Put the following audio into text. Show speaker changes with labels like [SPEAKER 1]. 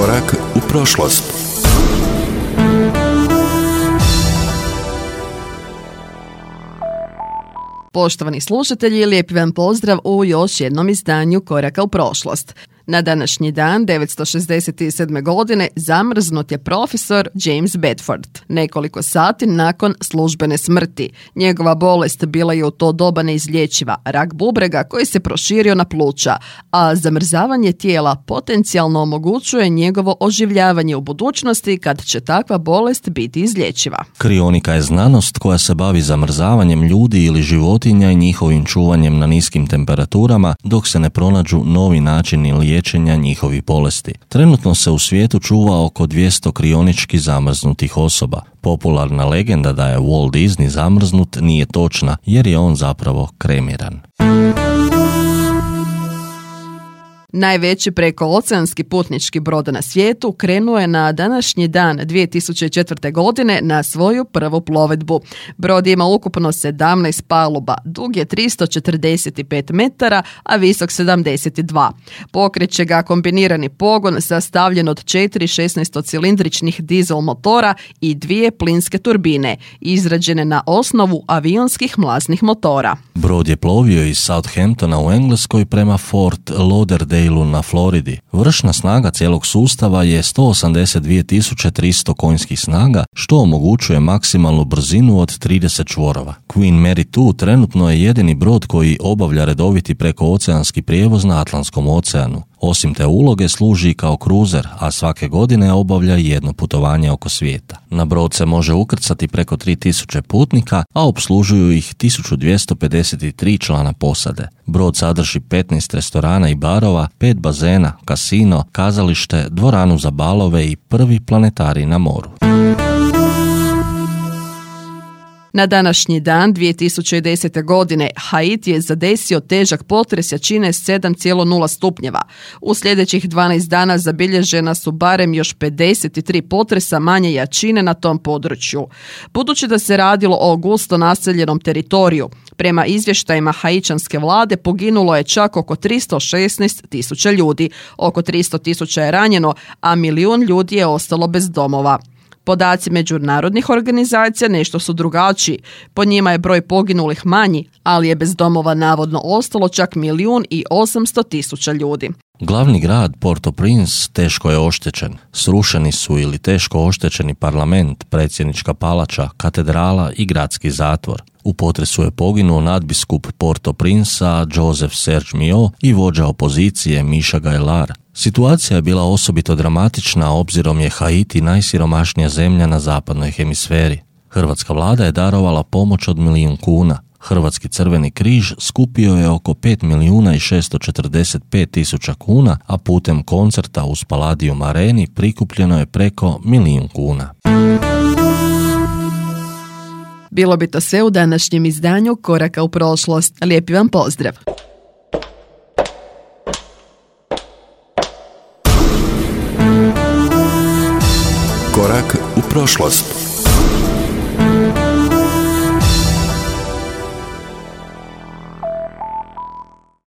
[SPEAKER 1] Korak u prošlost.
[SPEAKER 2] Poštovani slušatelji, lijepi vam pozdrav u još jednom izdanju Koraka u prošlost. Na današnji dan, 967. godine, zamrznut je profesor James Bedford. Nekoliko sati nakon službene smrti. Njegova bolest bila je u to doba neizlječiva, rak bubrega koji se proširio na pluća, a zamrzavanje tijela potencijalno omogućuje njegovo oživljavanje u budućnosti kad će takva bolest biti izlječiva.
[SPEAKER 3] Krionika je znanost koja se bavi zamrzavanjem ljudi ili životinja i njihovim čuvanjem na niskim temperaturama dok se ne pronađu novi načini liječenja njihovih bolesti. Trenutno se u svijetu čuva oko 200 krionički zamrznutih osoba. Popularna legenda da je Walt Disney zamrznut nije točna jer je on zapravo kremiran.
[SPEAKER 2] Najveći prekooceanski putnički brod na svijetu krenuo je na današnji dan 2004. godine na svoju prvu plovidbu. Brod ima ukupno 17 paluba, dug je 345 metara, a visok 72. Pokreće ga kombinirani pogon sastavljen od 4 16-cilindričnih dizel motora i 2 plinske turbine, izrađene na osnovu avionskih mlaznih motora.
[SPEAKER 3] Brod je plovio iz Southamptona u Engleskoj prema Fort Lauderdale na Floridi. Vršna snaga cijelog sustava je 182.300 konjskih snaga, što omogućuje maksimalnu brzinu od 30 čvorova. Queen Mary II trenutno je jedini brod koji obavlja redoviti prekooceanski prijevoz na Atlantskom oceanu. Osim te uloge služi kao kruzer, a svake godine obavlja jedno putovanje oko svijeta. Na brod se može ukrcati preko 3000 putnika, a opslužuju ih 1253 člana posade. Brod sadrži 15 restorana i barova, 5 bazena, kasino, kazalište, dvoranu za balove i prvi planetarij na moru.
[SPEAKER 2] Na današnji dan 2010. godine Haiti je zadesio težak potres jačine 7,0 stupnjeva. U sljedećih 12 dana zabilježena su barem još 53 potresa manje jačine na tom području. Budući da se radilo o gusto naseljenom teritoriju, prema izvještajima haičanske vlade poginulo je čak oko 316.000 ljudi, oko 300.000 je ranjeno, a 1 milijun ljudi je ostalo bez domova. Podaci međunarodnih organizacija nešto su drugačiji. Po njima je broj poginulih manji, ali je bez domova navodno ostalo čak 1.800.000 ljudi.
[SPEAKER 3] Glavni grad Port-au-Prince teško je oštećen. Srušeni su ili teško oštećeni parlament, predsjednička palača, katedrala i gradski zatvor. U potresu je poginuo nadbiskup Port-au-Princea Joseph Serge Mio i vođa opozicije Miša Gajlar. Situacija je bila osobito dramatična obzirom je Haiti najsiromašnija zemlja na zapadnoj hemisferi. Hrvatska vlada je darovala pomoć od 1 milijun kuna. Hrvatski crveni križ skupio je oko 5.645.000 kuna, a putem koncerta u Palladium Areni prikupljeno je preko 1 milijun kuna.
[SPEAKER 2] Bilo bi to sve u današnjem izdanju Koraka u prošlost. Lijepi vam pozdrav!
[SPEAKER 1] Korak u prošlost.